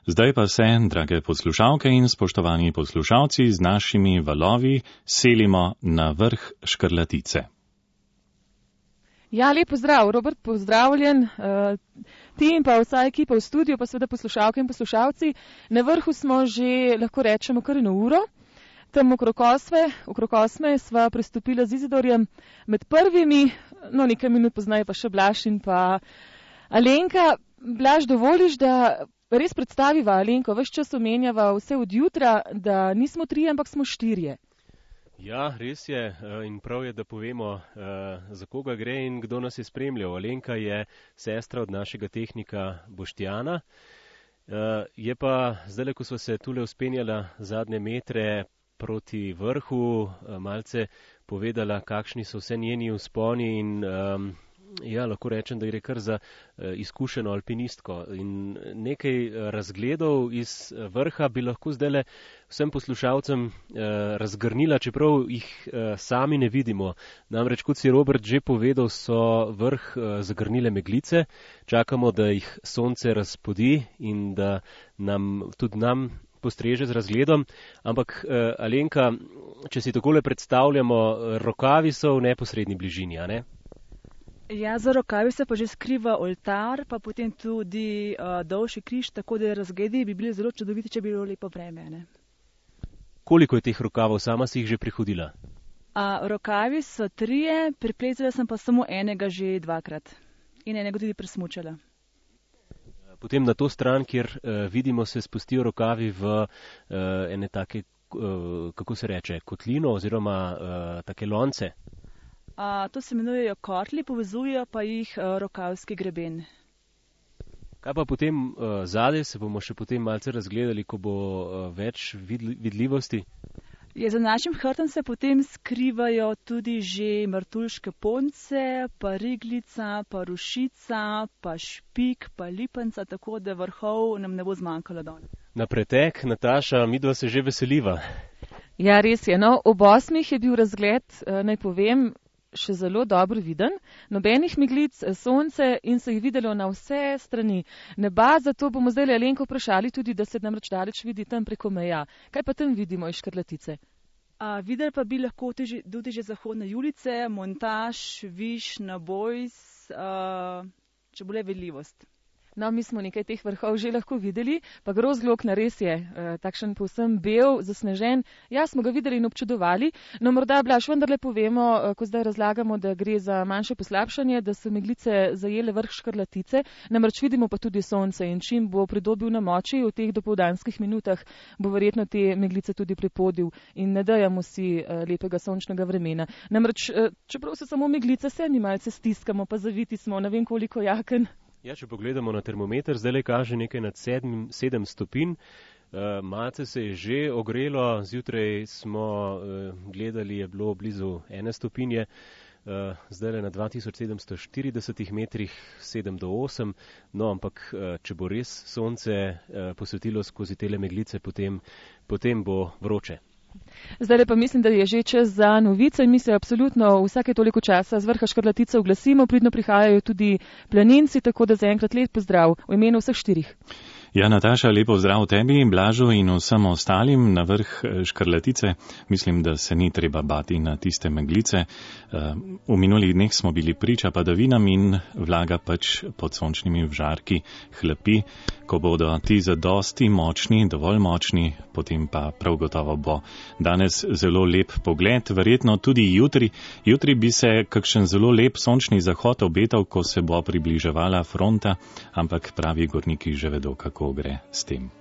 Zdaj pa se, drage poslušalke in spoštovani poslušalci, z našimi valovi selimo na vrh Škrlatice. Ja, lep pozdrav, Robert, pozdravljen. Ti in pa vsa ekipa v studiu, pa seveda poslušalke in poslušalci. Na vrhu smo že, lahko rečemo, kar 1 uro. Tam okrog 8 sva prestopila z Izidorjem med prvimi, no nekaj minut poznaje pa še Blaž in pa Alenka. Blaž, dovoliš, da res predstaviva Alenko, ves čas omenjava vse od jutra, da nismo 3, ampak smo 4. Ja, res je in prav je, da povemo, za koga gre in kdo nas je spremljal. Alenka je sestra od našega tehnika Boštjana. Je pa zdaj, ko sva se tule vzpenjala zadnje metre proti vrhu, malce povedala, kakšni so vse njeni vzponi in ja, lahko rečem, da gre kar za izkušeno alpinistko. In nekaj razgledov iz vrha bi lahko zdajle vsem poslušalcem razgrnila, čeprav jih sami ne vidimo. Namreč, kot si Robert že povedal, so vrh zagrnile meglice. Čakamo, da jih sonce razpodi in da tudi nam postreže z razgledom. Ampak Alenka, če si takole predstavljamo, rokavi so v neposredni bližini, a ne? Ja, za rokavi se pa že skriva oltar, pa potem tudi dolžji križ, tako da razgledi bi bili zelo čudoviti, če bi bilo lepo vreme, ne? Koliko je teh rokavov, sama si jih že prehodila? Rokavi so 3, priplezala sem pa samo enega že 2-krat in enega tudi presmučala. Potem na to stran, kjer vidimo, se spustijo rokavi v ene take, kako se reče, kotlino oziroma take lonce. To se imenujejo kotli, povezujejo pa jih rokavski greben. Kaj pa potem zadaj, se bomo še potem malce razgledali, ko bo več vidljivosti? Za našim hrbtom se potem skrivajo tudi že Martuljške Ponce, pa Riglica, pa Rušica, pa Špik, pa Lipenca, tako da vrhov nam ne bo zmanjkalo danes. Na pretek, Nataša, midva se že veseliva. Ja, res je. No, ob 8 je bil razgled, naj povem, še zelo dobro viden, nobenih meglic, sonce in se jih videlo na vse strani neba, zato bomo zdaj Alenko vprašali tudi, da se namreč daleč vidi tam preko meja. Kaj pa tam vidimo iz Škrlatice? Videli pa bi lahko tudi že zahodne Julice, Montaž, Viš, Nabojs, če bo le vidljivost. No, mi smo nekaj teh vrhov že lahko videli, pa Grozglokna res je takšen povsem bel, zasnežen. Ja, smo ga videli in občudovali. No, morda, Blaž, vendarle povemo, ko zdaj razlagamo, da gre za manjše poslabšanje, da so meglice zajele vrh Škrlatice, namreč vidimo pa tudi sonce in čim bo pridobil na moči v teh dopoldanskih minutah, bo verjetno te meglice tudi prepodil in ne dajamo si lepega sončnega vremena. Namreč, čeprav so samo meglice, se mi malce stiskamo, pa zaviti smo, ne vem koliko jaken. Ja, če pogledamo na termometer, zdaj kaže nekaj nad 7 stopinj. Malce se je že ogrelo, zjutraj smo gledali, je bilo blizu 1 stopinje, zdaj na 2740 metrih 7 do 8, no ampak če bo res sonce posvetilo skozi tele meglice, potem bo vroče. Zdaj pa mislim, da je že čas za novice in mi se absolutno vsake toliko časa z vrha Škrlatice oglasimo, pridno prihajajo tudi planinci, tako da zaenkrat lep pozdrav v imenu vseh 4. Ja, Nataša, lepo zdrav tebi, Blažu in vsem ostalim na vrh Škrlatice. Mislim, da se ni treba bati na tiste meglice. V minulih dneh smo bili priča padavinam in vlaga pač pod sončnimi žarki hlapi. Ko bodo ti zadosti močni, dovolj močni, potem pa prav gotovo bo danes zelo lep pogled, verjetno tudi jutri. Jutri bi se kakšen zelo lep sončni zahod obetal, ko se bo približevala fronta, ampak pravi gorniki že vedo, kako gre s tem.